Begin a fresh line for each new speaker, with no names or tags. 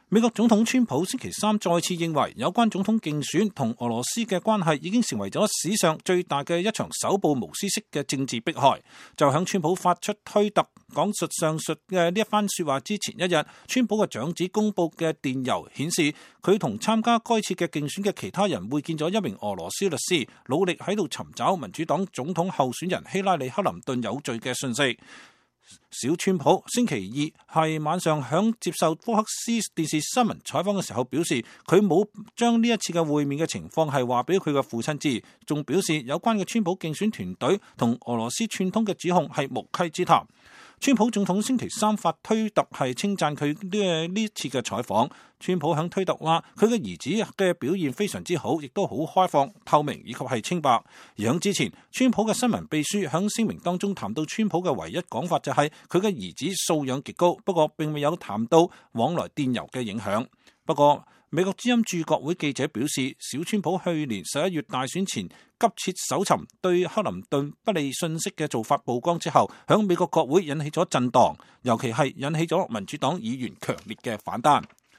美國總統川普星期三再次認為，有關總統競選同俄羅斯嘅關係已經成為咗史上最大嘅一場手部無私式嘅政治迫害。就響川普發出推特講述上述嘅呢一番說話之前一日，川普嘅長子公布嘅電郵顯示，佢同參加該次嘅競選嘅其他人會見咗一名俄羅斯律師，努力喺度尋找民主黨總統候選人希拉里克林頓有罪嘅訊息。小川普星期二係晚上響接受福克斯電視新聞採訪嘅時候表示，佢冇將呢一次嘅會面嘅情況係話俾佢嘅父親知，仲表示有關嘅川普競選團隊同俄羅斯串通嘅指控係無稽之談。川普總統星期三發推特係稱讚佢呢次嘅採訪。川普響推特話，佢嘅兒子嘅表現非常之好，亦都好開放、透明以及係清白。而響之前，川普嘅新聞秘書響聲明當中談到川普嘅唯一講法就係佢嘅兒子素養極高，不過並未有談到往來電郵嘅影響。不過美國之音駐國會記者表示，小川普去年11月大選前急切搜尋對克林頓不利信息嘅做法曝光之後，響美國國會引起咗震盪，尤其係引起咗民主黨議員強烈嘅反彈。